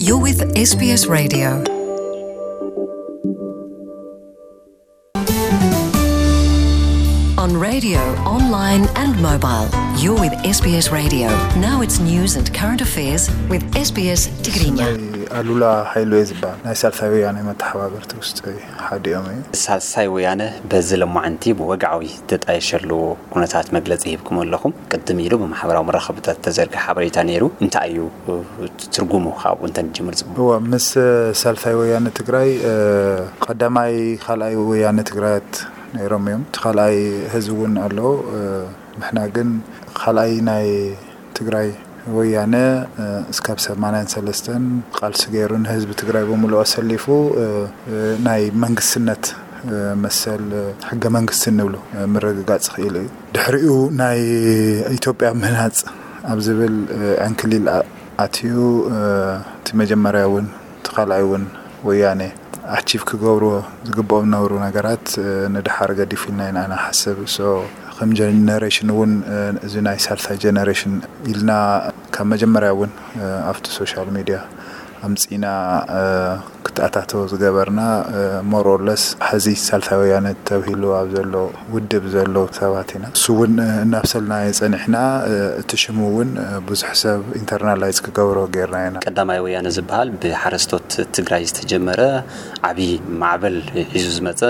You're with S B S Radio. On radio, online and mobile, you're with S B S Radio. Now it's news and current affairs with S B S Tigrinya. ናይ ኣሉላ ሓይሉ እየ ዝበሃል። ናይ ሳልሳይ ወያነ መተሓባበርቲ ውስጥ ሓዲኦም እዩ። ሳልሳይ ወያነ በዚ ለማዓንቲ ብወግዓዊ ተጣየሸሉ ኩነታት መግለጺ ሂብኩም ኣለኹም። ቅድም ኢሉ ብማሕበራዊ መራኸብታት ተዘርግሐ ሓበሬታ ነይሩ። እንታይ እዩ እቲ ትርጉሙ? ካብኡ እንተ ንጅምር ጽቡቕ። እወ፣ ምስ ሳልሳይ ወያነ ትግራይ፣ እ፣ ቀዳማይ ካልኣይ ወያነ ትግራያት ነይሮም እዮም። እቲ ካልኣይ ህዝቢ እውን ኣሎ። እ፣ ንሕና ግን ካልኣይ ናይ ትግራይ ወያነ፣ እ፣ እስካብ ሰማንያን ሰለስተን ቃልሲ ገይሩ ንህዝቢ ትግራይ ብምሉኡ ኣሰሊፉ፣ እ፣ እ፣ ናይ መንግስትነት፣ እ፣ መሰል፣ እ፣ ሕገ መንግስቲ እንብሎ፣ እ፣ ምርግጋጽ ክኢሉ እዩ። ድሕሪኡ ናይ ኢትዮጵያ ምህናጽ ኣብ ዝብል፣ እ፣ ዕንክሊል ኣ-፣ ኣትዩ፣ እ፣ እቲ መጀመርያ እውን እቲ ካልኣይ እውን ወያነ ኣቺቭ ክገብርዎ ዝግብኦም ዝነበሩ ነገራት፣ እ፣ ንድሓር ገዲፉ ኢልና ኢና ንሓስብ። ሶ ከም ጀነሬሽን እውን፣ እ፣ እዚ ናይ ሳልሳይ ጀነሬሽን ኢልና ካብ መጀመርያ እውን፣ እ፣ ኣብቲ ሶሻል ሚድያ ኣምጺና፣ እ፣ ክትኣታተው ዝገበርና፣ እ፣ ሞር ኦር ለስ ሕዚ ሳልሳይ ወያነ ተብሂሉ ኣብ ዘሎ ውድብ ዘሎ ሰባት ኢና። እሱ እውን፣ እ፣ እናብሰልና ጸኒሕና፣ እ፣ እቲ ሽሙ እውን፣ እ፣ ብዙሕ ሰብ ኢንተርናላይዝ ክገብሮ ጌርና ኢና። ቀዳማይ ወያነ ዝበሃል ብሓረስቶት ትግራይ ዝተጀመረ ዓብዪ ማዕበል ሒዙ ዝመጸ፣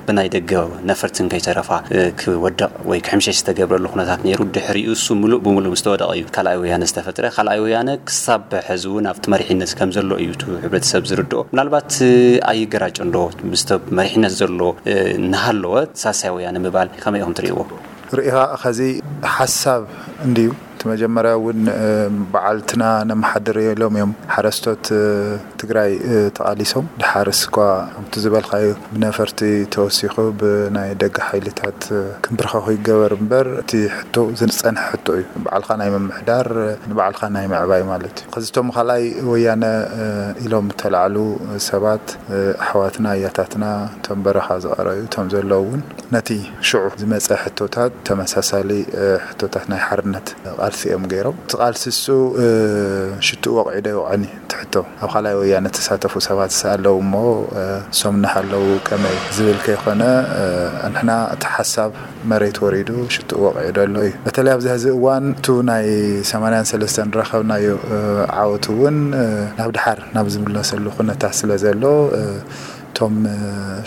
ብናይ ደገ ነፈርትን ከይተረፋ፣ እ፣ ክወድቕ ወይ ክሕምሸሽ ዝተገብረሉ ኩነታት ነይሩ። ድሕሪኡ እሱ ምሉእ ብምሉእ ምስ ተወደቐ እዩ ካልኣይ ወያነ ዝተፈጥረ። ካልኣይ ወያነ ክሳብ ሕዚ እውን ኣብቲ መሪሕነት ከም ዘሎ እዩ እቲ ሕብረተሰብ ዝርድኦ። ምናልባት፣ እ፣ ኣይገራጨን ዶ ምስቲ መሪሕነት ዘሎ፣ እ፣ እናሃለወ ሳልሳይ ወያነ ምባል ከመይ ኢኹም ትርእይዎ? ርኢኻ ኸዚ ሓሳብ እንድዩ። እቲ መጀመርያ እውን፣ እ፣ በዓልትና ነመሓድር ኢሎም እዮም ሓረስቶት፣ እ፣ ትግራይ፣ እ፣ ተቓሊሶም። ድሓርስ እኳ ከምቲ ዝበልካዮ ብነፈርቲ ተወሲኹ ብናይ ደገ ሓይልታት፣ እ፣ ክንብርከኹ ይገበር እምበር፣ እቲ ሕቶ ዝጸንሐ ሕቶ እዩ። ባዕልኻ ናይ ምምሕዳር፣ እ፣ ንባዕልኻ ናይ ምዕባይ ማለት እዩ። ኸዚ እቶም ካልኣይ ወያነ፣ እ፣ ኢሎም እተላዕሉ ሰባት፣ እ፣ ኣሕዋትና፣ ኣያታትና፣ እቶም በረኻ ዝቐረዩ፣ እቶም ዘለዉ እውን ነቲ ሽዑ ዝመጸ ሕቶታት ተመሳሳሊ፣ እ፣ ሕቶታት ናይ ሓርነት ቃልሲ እዮም ገይሮም። እቲ ቃልሲ እሱ፣ እ፣ ሽትኡ ወቕዒ ዶ ይወቕዐኒ? እቲ ሕቶ ኣብ ካልኣይ ወያነ ተሳተፉ ሰባት ኣለዉ እሞ፣ እ፣ እሶም እናሃለዉ ከመይ ዝብል ከይኮነ፣ እ፣ ንሕና እቲ ሓሳብ መሬት ወሪዱ ሽትኡ ወቕዒ ዶ ኣሎ እዩ። በተለይ ኣብዚ ሕዚ እዋን እቱ ናይ ሰማንያን ሰለስተን ዝረኸብናዮ፣ እ፣ ዓወት እውን፣ እ፣ ናብ ድሓር ናብ ዝምለሰሉ ኩነታት ስለ ዘሎ፣ እ፣ እቶም፣ እ፣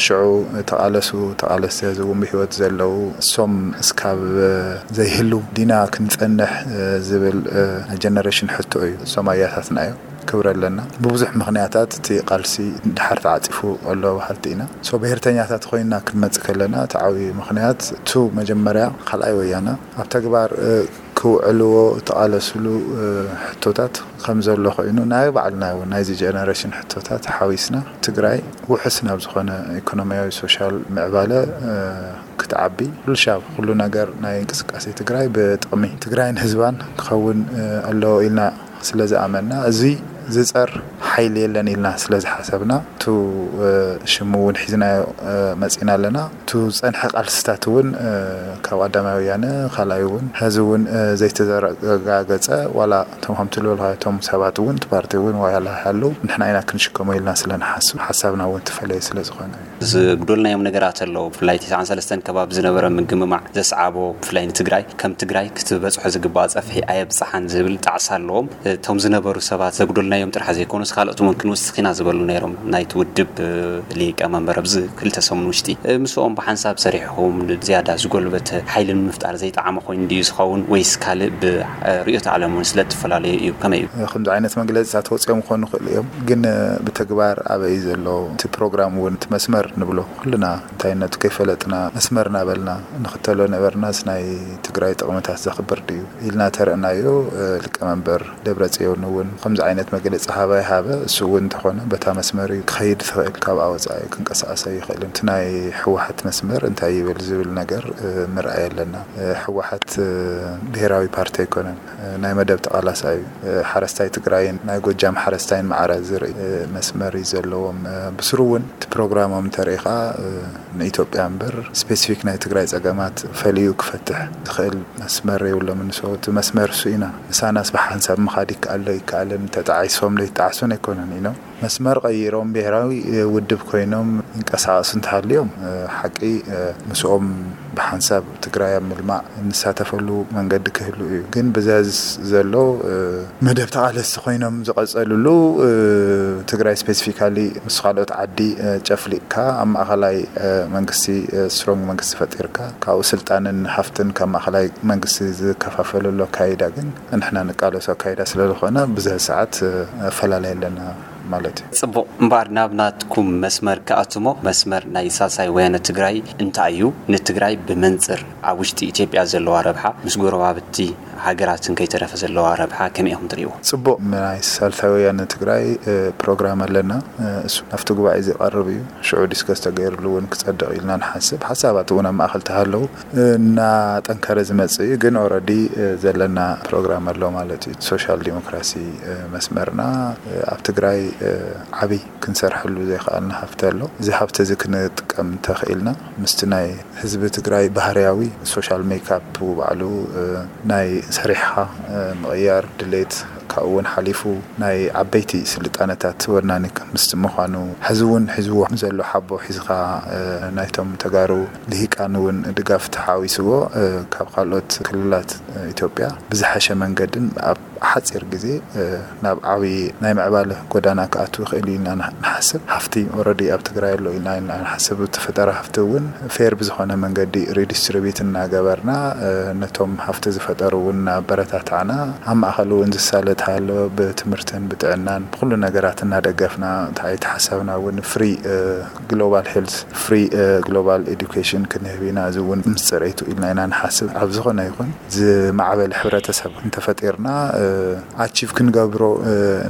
ሽዑ ተቓለሱ፣ ተቓለስቲ ሕዚ እውን ብህይወት ዘለዉ እሶም እስካብ፣ እ፣ ዘይህሉ ዲና ክንጸንሕ፣ እ፣ ዝብል፣ እ፣ ናይ ጀነሬሽን ሕቶ እዩ። እሶም ኣያታትና እዮም። ክብሪ ኣለና። ብብዙሕ ምኽንያታት እቲ ቃልሲ ድሓር ተዓጺፉ ኣሎ በሃልቲ ኢና። ሶ ብሄርተኛታት ኮይንና ክንመጽእ ከለና እቲ ዓብዪ ምኽንያት እቱ መጀመርያ ካልኣይ ወያነ ኣብ ተግባር፣ እ፣ ክውዕልዎ እተቓለስሉ፣ እ፣ ሕቶታት ከም ዘሎ ኮይኑ ናይ ባዕልና እውን ናይዚ ጀነሬሽን ሕቶታት ሓዊስና ትግራይ ውሑስ ናብ ዝኾነ ኢኮኖሚያዊ ሶሻል ምዕባለ፣ እ፣ ክትዓቢ ኩሉ ሻብ ኩሉ ነገር ናይ እንቅስቃሴ ትግራይ ብጥቕሚ ትግራይን ህዝባን ክኸውን፣ እ፣ ኣለዎ ኢልና ስለ ዝኣመንና እዚ ዝጸር ሓይሊ የለን ኢልና ስለ ዝሓሰብና እቱ፣ እ፣ ሽሙ እውን ሒዝናዮ፣ እ፣ መጺና ኣለና። እቱ ዝጸንሐ ቃልስታት እውን፣ እ፣ ካብ ቀዳማይ ወያነ ካልኣይ እውን ሕዚ እውን፣ እ፣ ዘይተዘረጋገጸ ዋላ እቶም ከምቲ ዝበልካዮ እቶም ሰባት እውን እቲ ፓርቲ እውን ዋላ ሃለዉ ንሕና ኢና ክንሽከሞ ኢልና ስለ ንሓስብ ሓሳብና እውን ትፈለየ ስለ ዝኾነ እዩ። ዝጉደልናዮም ነገራት ኣለዉ። ብፍላይ ተስዓን ሰለስተን ከባቢ ዝነበረ ምግምማዕ ዘስዓቦ ብፍላይ ንትግራይ ከም ትግራይ ክትበጽሖ ዝግባኣ ጸፍሒ ኣየብጽሓን ዝብል ጣዕሳ ኣለዎም። እቶም ዝነበሩ ሰባት ዘጉደልናዮም ጥራሕ ዘይኮኑስ ካልኦት እውን ክንውስኽ ኢና ዝበሉ ነይሮም። ናይቲ ውድብ፣ እ፣ ሊቀ መንበር ኣብዚ ክልተ ሰሙን ውሽጢ፣ እ፣ ምስኦም ብሓንሳብ ሰሪሕኹም ዝያዳ ዝጎልበተ ሓይሊ ንምፍጣር ዘይጠዓመ ኮይኑ ድዩ ዝኸውን ወይስ ካልእ ብ-፣ እ፣ ርእዮተ ዓለም እውን ስለ እትፈላለዩ እዩ? ከመይ እዩ? ከምዚ ዓይነት መግለፂታት ወፂኦም ክኾኑ ይኽእሉ እዮም፣ ግን፣ እ፣ ብተግባር ኣበይ እዩ ዘሎ እቲ ፕሮግራም እውን እቲ መስመር ንብሎ ኩልና እንታይነቱ ከይፈለጥና መስመር እናበልና ንኽተሎ ነበርናስ ናይ ትግራይ ጥቕምታት ዘኽብር ድዩ ኢልና ተረእናዮ፣ እ፣ ሊቀመንበር ደብረጽዮን እውን ከምዚ ዓይነት መግለጺ ሃበ ኣይሃበ፣ እሱ እውን እንተኾነ በታ መስመር እዩ ከይድ ትኽእል፣ ካብ ኣወፃኢ ክንቀሳቀስ ኣይኽእልን። እቲ ናይ ህወሓት መስመር እንታይ ይብል ዝብል ነገር ምርኣይ ኣለና። ህወሓት ብሄራዊ ፓርቲ ኣይኮነን፣ ናይ መደብ ተቓላሳይ እዩ። ሓረስታይ ትግራይን ናይ ጎጃም ሓረስታይን ማዕረ ዝርኢ መስመር እዩ ዘለዎም። ብስሩ እውን እቲ ፕሮግራሞም እንተሪኢኻ ንኢትዮጵያ እምበር ስፔሲፊክ ናይ ትግራይ ፀገማት ፈሊዩ ክፈትሕ ዝኽእል መስመር የብሎምን። So እቲ መስመር እሱ ኢና። ምሳናስ ብሓንሳብ ምኻድ ይከኣል ዶ ይከኣልን፣ ተጣዒሶም ዶ ይጣዕሱን ኣይኮነን ኢሎም መስመር ቀይሮም ብሄራዊ ውድብ ኮይኖም ይንቀሳቐሱ እንተሃልዮም፣ ሓቂ ምስኦም ብሓንሳብ ትግራይ ኣብ ምልማዕ እንሳተፈሉ መንገዲ ክህሉ እዩ። ግን ብዘዝ ዘሎ መደብ ተቓለስቲ ኮይኖም ዝቐፀልሉ፣ ትግራይ ስፔሲፊካሊ ምስ ካልኦት ዓዲ ጨፍሊቕካ ኣብ ማእኸላይ መንግስቲ፣ ስትሮንግ መንግስቲ ፈጢርካ ካብኡ ስልጣንን ሃፍትን ካብ ማእኸላይ መንግስቲ ዝከፋፈለሉ ኣካይዳ ግን ንሕና ንቃለሶ ኣካይዳ ስለዝኾነ ብዘ ሰዓት ኣፈላለይ ኣለና ማለት እዩ። ጽቡቕ። እምበኣር ናብ ናትኩም መስመር ክኣትሞ፣ መስመር ናይ ሳልሳይ ወያነ ትግራይ እንታይ እዩ? ንትግራይ ብመንጽር ኣብ ውሽጢ ኢትዮጵያ ዘለዋ ረብሓ፣ ምስ ጎረባብቲ ሃገራትን ከይተረፈ ዘለዋ ረብሓ ከመይ ኢኹም ትርእይዎ? ጽቡቕ። ናይ ሳልሳይ ወያነ ትግራይ ፕሮግራም ኣለና። እሱ ናብቲ ጉባኤ ዝቐርብ እዩ። ሽዑ ዲስከስ ተገይርሉ እውን ክጸድቕ ኢልና ንሓስብ። ሓሳባት እውን ኣብ ማእኸል ተሃለዉ እናጠንከረ ዝመጽእ እዩ። ግን ኦረዲ ዘለና ፕሮግራም ኣሎ ማለት እዩ። ሶሻል ዲሞክራሲ መስመርና ኣብ ትግራይ ዓብይ ክንሰርሐሉ ዘይከኣልና ሃፍቲ ኣሎ። እዚ ሃፍቲ እዚ ክንጥቀም እንተኽኢልና ምስቲ ናይ ህዝቢ ትግራይ ባህርያዊ ሶሻል ሜካፕ ባዕሉ ናይ ሰሪሕኻ ምቕያር ድሌት ካብኡ እውን ሓሊፉ ናይ ዓበይቲ ስልጣነታት ወናኒ ምስቲ ምዃኑ ሕዚ እውን ሒዝዎ ዘሎ ሓቦ ሒዝኻ ናይቶም ተጋሩ ልሂቃን እውን ድጋፍ ተሓዊስዎ ካብ ካልኦት ክልላት ኢትዮጵያ ብዝሓሸ መንገድን ኣብ ሓፂር ግዜ ናብ ዓብዪ ናይ ምዕባለ ጎዳና ክኣቱ ይኽእል እዩ ኢልና ንሓስብ። ሃፍቲ ኦረዲ ኣብ ትግራይ ኣሎ ኢልና ኢና ንሓስብ። እቲ ፈጠራ ሃፍቲ እውን ፌር ብዝኾነ መንገዲ ሪዲስትሪቢዩት እናገበርና ነቶም ሃፍቲ ዝፈጠሩ እውን እናበረታታዕና ኣብ ማእኸሉ እውን ዝሳለጥ ሃሎ ብትምህርትን ብጥዕናን ብኩሉ ነገራት እናደገፍና እቲ ሓሳብና እውን ፍሪ ግሎባል ሄልት፣ ፍሪ ግሎባል ኤዱኬሽን ክንህብ ኢና። እዚ እውን ምስ ፅሬቱ ኢልና ኢና ንሓስብ። ኣብ ዝኾነ ይኹን ዝማዕበለ ሕብረተሰብ እንተፈጢርና ኣቺቭ ክንገብሮ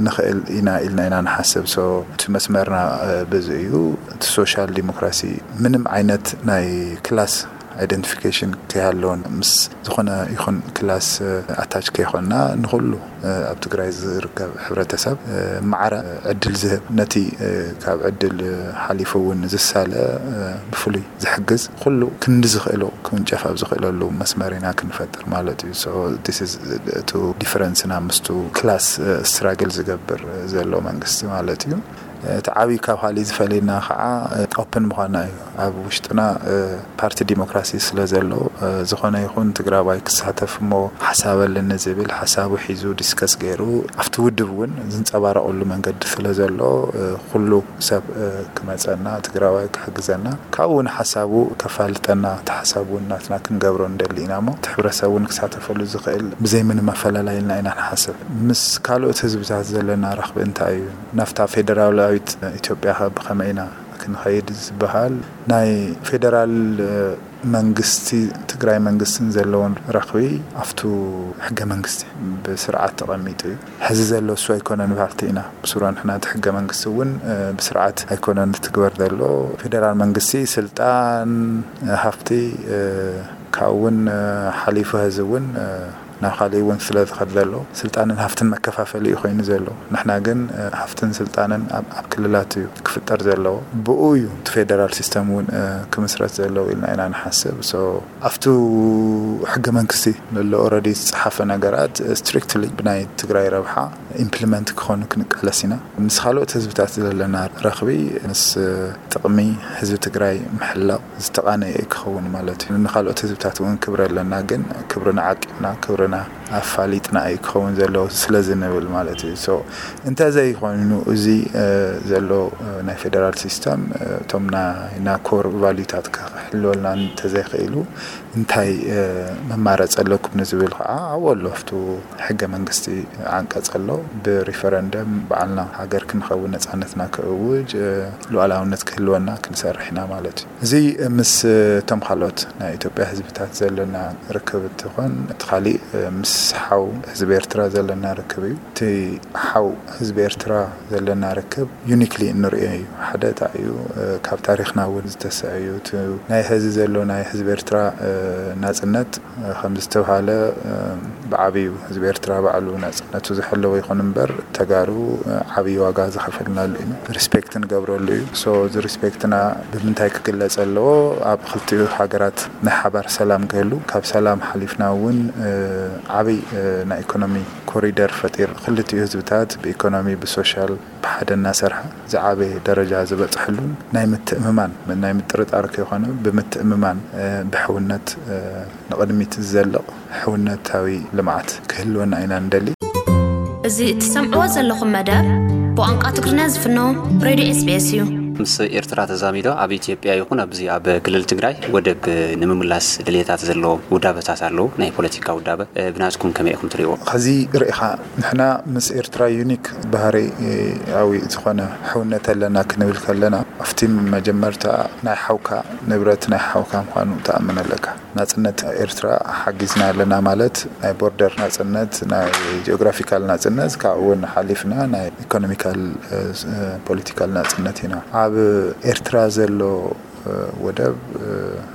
ንኽእል ኢና ኢልና ኢና ንሓስብ። So እቲ መስመርና በዚ እዩ። እቲ ሶሻል ዲሞክራሲ ምንም ዓይነት ናይ ክላስ ኣይደንቲፊኬሽን ከይሃለወን ምስ ዝኾነ ይኹን ክላስ ኣታች ከይኮንና ንኹሉ ኣብ ትግራይ ዝርከብ ሕብረተሰብ ማዕረ ዕድል ዝህብ፣ ነቲ ካብ ዕድል ሓሊፉ እውን ዝሳለ ብፍሉይ ዝሕግዝ ኩሉ ክንዲ ዝኽእሎ ክውንጨፍ ኣብ ዝኽእለሉ መስመር ኢና ክንፈጥር ማለት እዩ። So this is እቲ ዲፈረንስና ምስቱ ክላስ ስትራግል ዝገብር ዘሎ መንግስቲ ማለት እዩ። እቲ ዓብዪ ካብ ካልእ ዝፈልየና ከዓ ኦፕን ምዃንና እዩ። ኣብ ውሽጥና ፓርቲ ዲሞክራሲ ስለ ዘሎ ዝኾነ ይኹን ትግራዋይ ክሳተፍ እሞ ሓሳብ ኣለኒ ዝብል ሓሳቡ ሒዙ ዲስከስ ገይሩ ኣብቲ ውድብ እውን ዝንፀባረቐሉ መንገዲ ስለ ዘሎ ኩሉ ሰብ ክመፀና ትግራዋይ ክሕግዘና ካብኡ እውን ሓሳቡ ከፋልጠና እቲ ሓሳብ እውን ናትና ክንገብሮ ንደሊ ኢና እሞ እቲ ሕብረተሰብ እውን ክሳተፈሉ ዝኽእል ብዘይ ምንም ኣፈላላይ ኢልና ኢና ንሓስብ። ምስ ካልኦት ህዝብታት ዘለና ረኽቢ እንታይ እዩ? ናብታ ፌደራላዊት ኢትዮጵያ ከ ብኸመይ ኢና ክንኸይድ ዝበሃል ናይ ፌደራል መንግስቲ ትግራይ መንግስትን ዘለዎን ረኽቢ ኣብቱ ሕገ መንግስቲ ብስርዓት ተቐሚጡ እዩ። ሕዚ ዘሎ እሱ ኣይኮነን በሃልቲ ኢና። ብስሩ ንሕና እቲ ሕገ መንግስቲ እውን ብስርዓት ኣይኮነን ዝትግበር ዘሎ። ፌደራል መንግስቲ ስልጣን፣ ሃፍቲ ካብኡ እውን ሓሊፉ ሕዚ እውን ናብ ካሊእ እውን ስለ ዝኸድ ዘሎ ስልጣንን ሃፍትን መከፋፈሊ እዩ ኮይኑ ዘሎ። ንሕና ግን ሃፍትን ስልጣንን ኣብ ክልላት እዩ ክፍጠር ዘለዎ። ብኡ እዩ እቲ ፌደራል ሲስተም እውን ክምስረት ዘለዎ ኢልና ኢና ንሓስብ። ኣብቱ ሕገ መንግስቲ ዘሎ ኦረዲ ዝፀሓፈ ነገራት ስትሪክትሊ ብናይ ትግራይ ረብሓ ኢምፕሊመንት ክኾኑ ክንቃለስ ኢና። ምስ ካልኦት ህዝብታት ዘለና ረኽቢ ምስ ጥቕሚ ህዝቢ ትግራይ ምሕላው ዝተቓነየ ክኸውን ማለት እዩ። ንካልኦት ህዝብታት እውን ክብሪ ኣለና፣ ግን ክብርና ዓቂብና ክብርና ኣፋሊጥና እዩ ክኸውን ዘለዎ ስለ ዝንብል ማለት እዩ። So እንተዘይኮይኑ እዚ ዘሎ ናይ ፌደራል ሲስተም እቶም ናይና ኮር ቫሉታት ክሕልወልና እንተዘይኽኢሉ እንታይ መማረፂ ኣለኩም ንዝብል ከዓ ኣብኡ ኣሎ። ኣብቱ ሕገ መንግስቲ ዓንቀፅ ኣሎ። ብሪፈረንደም ባዕልና ሃገር ክንኸውን፣ ነፃነትና ክእውጅ፣ ሉዓላውነት ክህልወና ክንሰርሕ ኢና ማለት እዩ። እዚ ምስ እቶም ካልኦት ናይ ኢትዮጵያ ህዝብታት ዘለና ርክብ እንትኾን፣ እቲ ካሊእ ምስ ሓው ህዝቢ ኤርትራ ዘለና ርክብ እዩ። እቲ ሓው ህዝቢ ኤርትራ ዘለና ርክብ ዩኒክሊ እንርእዮ እዩ። ሓደ እታ እዩ፣ ካብ ታሪኽና እውን ዝተሰአ እዩ። እቲ ናይ ሕዚ ዘሎ ናይ ህዝቢ ኤርትራ ናጽነት ከም ዝተብሃለ ብዓብዩ ህዝቢ ኤርትራ ባዕሉ ናጽነቱ ዝሐለወ ይኹን እምበር፣ ተጋሩ ዓብዪ ዋጋ ዝኸፈልናሉ እዩ። ሪስፔክት ንገብረሉ እዩ። ሶ እዚ ሪስፔክትና ብምንታይ ክግለጽ ኣለዎ? ኣብ ክልቲኡ ሃገራት ናይ ሓባር ሰላም ክህሉ፣ ካብ ሰላም ሓሊፍና እውን ዓብይ ናይ ኢኮኖሚ ኮሪደር ፈጢር፣ ክልቲኡ ህዝብታት ብኢኮኖሚ ብሶሻል ብሓደ እናሰርሐ ዝዓበየ ደረጃ ዝበፅሕሉን ናይ ምትእምማን፣ ናይ ምጥርጣር ከይኮነ ብምትእምማን ብሕውነት ንቕድሚት ዝዘልቕ ሕውነታዊ ልምዓት ክህልወና ኢና ንደሊ። እዚ እትሰምዕዎ ዘለኹም መደብ ብቋንቋ ትግርኛ ዝፍኖ ሬድዮ SBS እዩ። ምስ ኤርትራ ተዛሚዶ ኣብ ኢትዮጵያ ይኹን ኣብዚ ኣብ ክልል ትግራይ ወደብ ንምምላስ ድልየታት ዘለዎም ውዳበታት ኣለዉ። ናይ ፖለቲካ ውዳበ ብናትኩም ከመይ ኢኹም ትሪእዎ? ከዚ ርኢኻ ንሕና ምስ ኤርትራ ዩኒክ ባህርያዊ ዝኾነ ሕውነት ኣለና ክንብል ከለና ኣብቲ መጀመርታ ናይ ሓውካ ንብረት ናይ ሓውካ ምዃኑ ትኣምን ኣለካ። ናጽነት ኤርትራ ሓጊዝና ኣለና ማለት ናይ ቦርደር ናጽነት፣ ናይ ጂኦግራፊካል ናጽነት፣ ካብኡ እውን ሓሊፍና ናይ ኢኮኖሚካል ፖለቲካል ናጽነት ኢና። ኣብ ኤርትራ ዘሎ ወደብ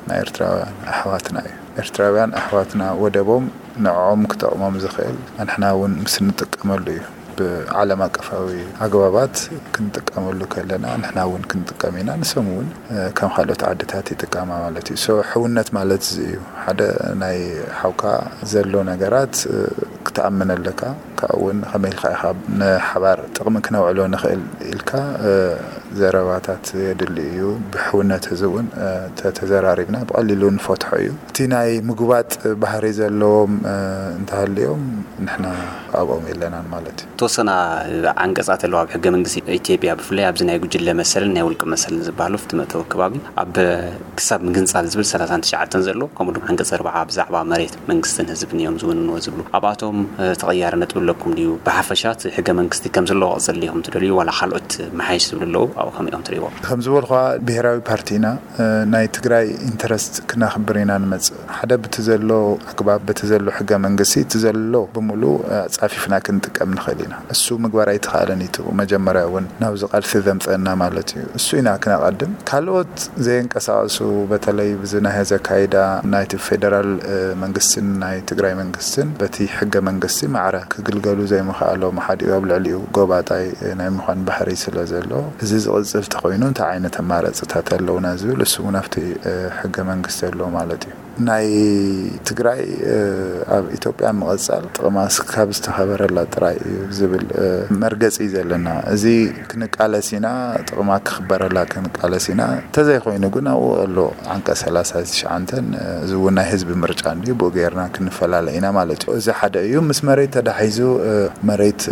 ናይ ኤርትራውያን ኣሕዋትና እዩ። ኤርትራውያን ኣሕዋትና ወደቦም ንዕኦም ክጠቕሞም ዝኽእል፣ ንሕና እውን ምስ እንጥቀመሉ እዩ። ብዓለም ኣቀፋዊ ኣግባባት ክንጥቀመሉ ከለና ንሕና እውን ክንጥቀም ኢና፣ ንሶም እውን ከም ካልኦት ዓድታት ይጥቀማ ማለት እዩ። ሶ ሕውነት ማለት እዚ እዩ። ሓደ ናይ ሓውካ ዘሎ ነገራት ክትኣምን ኣለካ። ካብኡ እውን ከመይ ኢልካ ኢኻ ንሓባር ጥቕሚ ክነውዕሎ ንኽእል ኢልካ ዘረባታት የድሊ እዩ። ብሕውነት እዚ እውን ተተዘራሪብና ብቐሊሉ ንፈትሖ እዩ። እቲ ናይ ምጉባጥ ባህሪ ዘለዎም እንተሃልዮም ንሕና ኣብኦም የለናን ማለት እዩ። ተወሰና ዓንቀጻት ኣለዋ ኣብ ሕገ መንግስቲ ኢትዮጵያ፣ ብፍላይ ኣብዚ ናይ ጉጅለ መሰልን ናይ ውልቂ መሰልን ዝበሃሉ ፍትመታዊ ከባቢ ኣብ ክሳብ ምግንጻል ዝብል ሰላሳን ትሽዓተን ዘሎ፣ ከምኡ ድማ ዓንቀጽ ኣርባዓ ብዛዕባ መሬት መንግስትን ህዝብን እዮም ዝውንንዎ ዝብሉ። ኣብኣቶም ተቐያሪ ነጥቢ ኣለኩም ድዩ? ብሓፈሻ እቲ ሕገ መንግስቲ ከም ዘለዎ ክቕጽል ዲኹም ትደልዩ ዋላ ካልኦት መሓይሽ ዝብሉ ኣለዉ? ኣብኡ ከመይ ኢኹም ትርእይዎ? ከም ዝበልኳ ብሄራዊ ፓርቲ ኢና። ናይ ትግራይ ኢንተረስት ክነኽብር ኢና ንመጽእ። ሓደ ብቲ ዘሎ ኣግባብ፣ በቲ ዘሎ ሕገ መንግስቲ እቲ ዘሎ ብምሉእ ኣጻፊፍና ክንጥቀም ንኽእል ኢና። እሱ ምግባር ኣይተኻእለን እዩ። መጀመርያ እውን ናብዚ ቃልሲ ዘምፀና ማለት እዩ። እሱ ኢና ክነቐድም። ካልኦት ዘየንቀሳቐሱ በተለይ ብዚ ናይ ሀዚ ኣካይዳ ናይቲ ፌደራል መንግስትን ናይ ትግራይ መንግስትን በቲ ሕገ መንግስቲ ማዕረ ክግልገሉ ዘይምኽኣሎም ሓዲኡ ኣብ ልዕሊኡ ጎባጣይ ናይ ምዃን ባህሪ ስለ ዘሎ እዚ ዝቕፅል ተኾይኑ እንታይ ዓይነት ኣማራፅታት ኣለውና ዝብል እሱ እውን ኣብቲ ሕገ መንግስቲ ኣሎ ማለት እዩ። ናይ ትግራይ ኣብ ኢትዮጵያ ምቕፃል ጥቕማ ካብ ዝተኸበረላ ጥራይ እዩ ዝብል መርገፂ እዩ ዘለና። እዚ ክንቃለስ ኢና፣ ጥቕማ ክኽበረላ ክንቃለስ ኢና። እንተዘይኮይኑ ግን ኣብኡ ኣሎ ዓንቀ ሰላሳ ትሽዓንተን እዚ እውን ናይ ህዝቢ ምርጫ እንድዩ፣ ብኡ ገይርና ክንፈላለ ኢና ማለት እዩ። እዚ ሓደ እዩ። ምስ መሬት ተዳሒዙ መሬት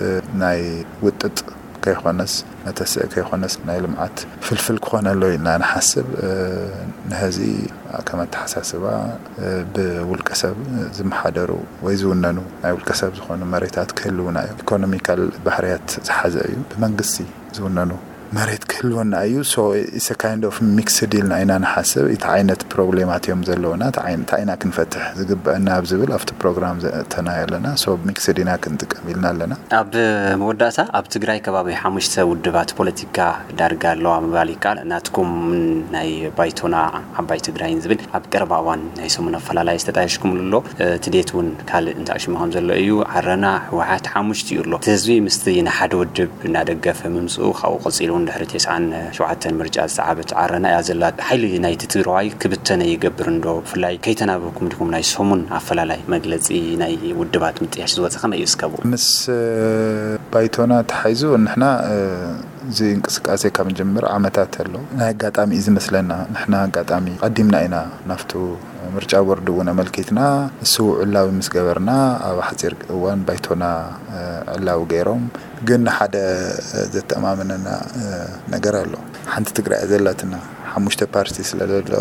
ናይ ውጥጥ ከይኾነስ መተስእ ከይኾነስ ናይ ልምዓት ፍልፍል ክኾነሎ ኢልና ንሓስብ። ንሀዚ ከም ኣተሓሳስባ ብውልቀ ሰብ ዝመሓደሩ ወይ ዝውነኑ ናይ ውልቀ ሰብ ዝኾኑ መሬታት ክህልውና እዮም። ኢኮኖሚካል ባህርያት ዝሓዘ እዩ። ብመንግስቲ ዝውነኑ መሬት ክህልወና እዩ። So it's a kind of mixed ኢልና ኢና ንሓስብ። እቲ ዓይነት ፕሮብሌማት እዮም ዘለውና። እንታይ ኢና ክንፈትሕ ዝግበአና ኣብ ዝብል ኣብቲ ፕሮግራም ዘእተናዮ ኣለና። So ሚክስድ ኢና ክንጥቀም ኢልና ኣለና። ኣብ መወዳእታ ኣብ ትግራይ ከባቢ ሓሙሽተ ውድባት ፖለቲካ ዳርጋ ኣለዋ ምባል ይከኣል። ናትኩም ናይ ባይቶና ዓባይ ትግራይን ዝብል ኣብ ቀረባ እዋን ናይ ሰሙን ኣፈላላይ ዝተጣየሽኩምሉ ኣሎ። እቲ ዴት እውን ካልእ እንተኣሽሙ ከም ዘሎ እዩ። ዓረና፣ ህወሓት ሓሙሽቲኡ ኣሎ። እቲ ህዝቢ ምስቲ ንሓደ ውድብ እናደገፈ ምምፅኡ ካብኡ ቀፂሉ እውን ድሕሪ ተስዓን ሸውዓተን ምርጫ ዝሰዓበት ዓረና እያ ዘላ። ሓይሊ ናይቲ ትግራዋይ ክብተነ ይገብር እንዶ? ብፍላይ ከይተናበብኩም ዲኹም ናይ ሰሙን ኣፈላላይ መግለፂ ናይ ውድባት ምጥያሽ ዝወፀ ከመይ እዩ እስከቡ? ምስ ባይቶና ተሓይዙ ንሕና እዚ እንቅስቃሴ ካብ ንጀምር ዓመታት ኣሎ። ናይ ኣጋጣሚ እዩ ዝመስለና። ንሕና ኣጋጣሚ ቀዲምና ኢና ናፍቱ ምርጫ ቦርድ እውን ኣመልኪትና እሱ ዕላዊ ምስ ገበርና ኣብ ሓፂር እዋን ባይቶና ዕላዊ ገይሮም። ግን ሓደ ዘተኣማምነና ነገር ኣሎ። ሓንቲ ትግራይ እያ ዘላትና። ሓሙሽተ ፓርቲ ስለ ዘሎ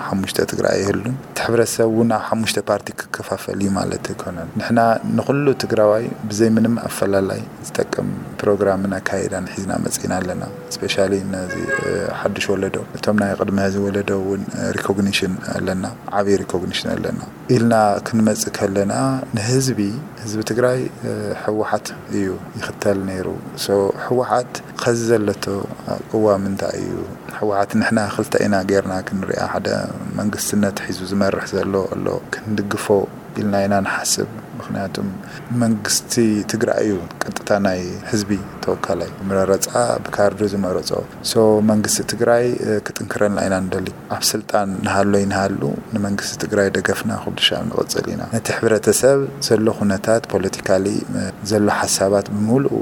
ሓሙሽተ ትግራይ ኣይህሉን። እቲ ሕብረተሰብ እውን ኣብ ሓሙሽተ ፓርቲ ክከፋፈል እዩ ማለት ኣይኮነን። ንሕና ንኹሉ ትግራዋይ ብዘይ ምንም ኣፈላላይ ዝጠቅም ፕሮግራምን ኣካይዳን ሒዝና መፂና ኣለና። ስፔሻሊ ነዚ ሓዱሽ ወለዶ፣ እቶም ናይ ቅድሚ ሕዚ ወለዶ እውን ሪኮግኒሽን ኣለና፣ ዓብዪ ሪኮግኒሽን ኣለና ኢልና ክንመፅእ ከለና፣ ንህዝቢ፣ ህዝቢ ትግራይ ህወሓት እዩ ይኽተል ነይሩ። ህወሓት ኸዚ ዘለቶ ቅዋም እንታይ እዩ? ህወሓት ንሕና ክልተ ኢና ጌርና ክንሪኣ፣ ሓደ መንግስትነት ሒዙ ዝመርሕ ዘሎ ኣሎ፣ ክንድግፎ ኢልና ኢና ንሓስብ። ምክንያቱም መንግስቲ ትግራይ እዩ ቀጥታ ናይ ህዝቢ ተወካላይ፣ መረፃ ብካርዱ ዝመረፆ። መንግስቲ ትግራይ ክጥንክረልና ኢና ንደሊ። ኣብ ስልጣን ንሃሎ ይንሃሉ፣ ንመንግስቲ ትግራይ ደገፍና ኩሉ ሻብ ንቕፅል ኢና። ነቲ ሕብረተሰብ ዘሎ ኩነታት፣ ፖለቲካሊ ዘሎ ሓሳባት ብምሉኡ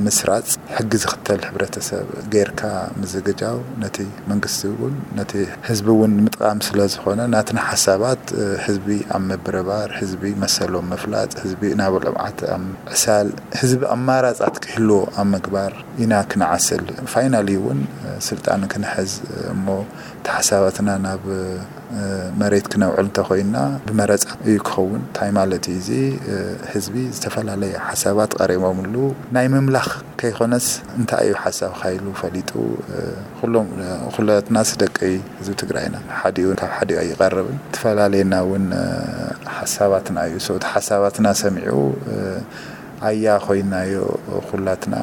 ምስራፅ፣ ሕጊ ዝኽተል ሕብረተሰብ ጌርካ ምዝግጃው፣ ነቲ መንግስቲ እውን ነቲ ህዝቢ እውን ንምጥቃም ስለ ዝኾነ፣ ናትና ሓሳባት ህዝቢ ኣብ ምብርባር፣ ህዝቢ መሰሎም ምፍላጥ፣ ህዝቢ ናብ ልምዓት ኣብ ምዕሳል፣ ህዝቢ ኣማራፃት ክህልዎ ኣብ ምግባር ኢና ክንዓስል። ፋይናሊ እውን ስልጣን ክንሕዝ እሞ፣ ተሓሳባትና ናብ መሬት ክነውዕል እንተኮይና፣ ብመረፃ እዩ ክኸውን። እንታይ ማለት እዩ? እዚ ህዝቢ ዝተፈላለየ ሓሳባት ቀሪቦምሉ፣ ናይ ምምላኽ ከይኮነስ፣ እንታይ እዩ ሓሳብካ ኢሉ ፈሊጡ፣ ኩሎም ኩላትናስ ደቂ ህዝቢ ትግራይ ኢና። ሓዲኡ ካብ ሓዲኡ ኣይቐርብን። ትፈላለየና እውን ሓሳባትና እዩ። እቲ ሓሳባትና ሰሚዑ ኣያ ኮይናዮ ኩላትና፣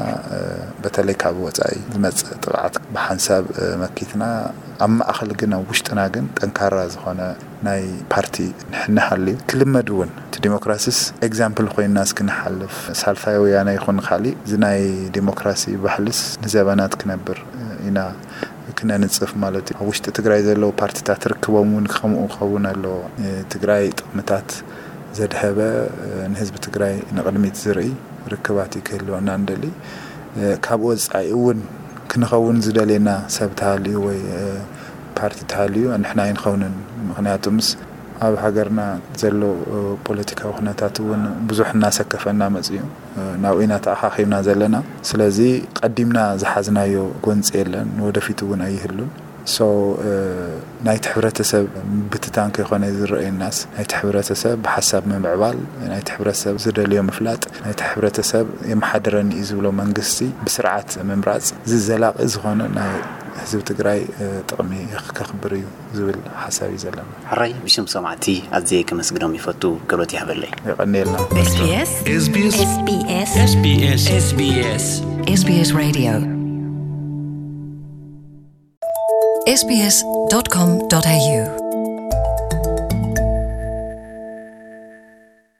በተለይ ካብ ወፃኢ ዝመፅእ ጥቕዓት ብሓንሳብ መኪትና፣ ኣብ ማእኸል ግን ኣብ ውሽጥና ግን ጠንካራ ዝኾነ ናይ ፓርቲ ንሕና ሃልዩ ክልመድ እውን፣ እቲ ዲሞክራሲስ ኤግዛምፕል ኮይንና እስኪ ንሓልፍ። ሳልሳይ ወያነ ይኹን ካሊእ፣ እዚ ናይ ዲሞክራሲ ባህልስ ንዘበናት ክነብር ኢና ክነንፅፍ ማለት እዩ። ኣብ ውሽጢ ትግራይ ዘለዉ ፓርቲታት ርክቦም እውን ከምኡ ክኸውን ኣለዎ። ትግራይ ጥቕምታት ዘድሀበ፣ ንህዝቢ ትግራይ ንቕድሚት ዝርኢ ርክባት እዩ ክህልወና እንደሊ። ካብ ወፃኢ እውን ክንኸውን ዝደልየና ሰብ ተሃልዩ ወይ ፓርቲ ተሃልዩ፣ ንሕና ኣይንኸውንን። ምክንያቱምስ ኣብ ሃገርና ዘሎ ፖለቲካዊ ኩነታት እውን ብዙሕ እናሰከፈና መፅዩ። ናብኡ ኢና ተኣኻኺብና ዘለና። ስለዚ ቀዲምና ዝሓዝናዮ ጎንፂ የለን፣ ንወደፊት እውን ኣይህሉን። ሶ ናይቲ ሕብረተሰብ ምብትታን ከይኮነ ዝረአየናስ፣ ናይቲ ሕብረተሰብ ብሓሳብ ምምዕባል፣ ናይቲ ሕብረተሰብ ዝደልዮ ምፍላጥ፣ ናይቲ ሕብረተሰብ የመሓድረኒ እዩ ዝብሎ መንግስቲ ብስርዓት ምምራፅ፣ እዚ ዘላቒ ዝኾነ ናይ ህዝቢ ትግራይ ጥቕሚ ከኽብር እዩ ዝብል ሓሳብ እዩ ዘለና። ሕራይ፣ ብሽም ሰማዕቲ ኣዝየ ከመስግኖም ይፈቱ። ክብረት ይሃበለይ። የቐንየልና። SBS SBS SBS SBS SBS Radio SBS dot com dot A U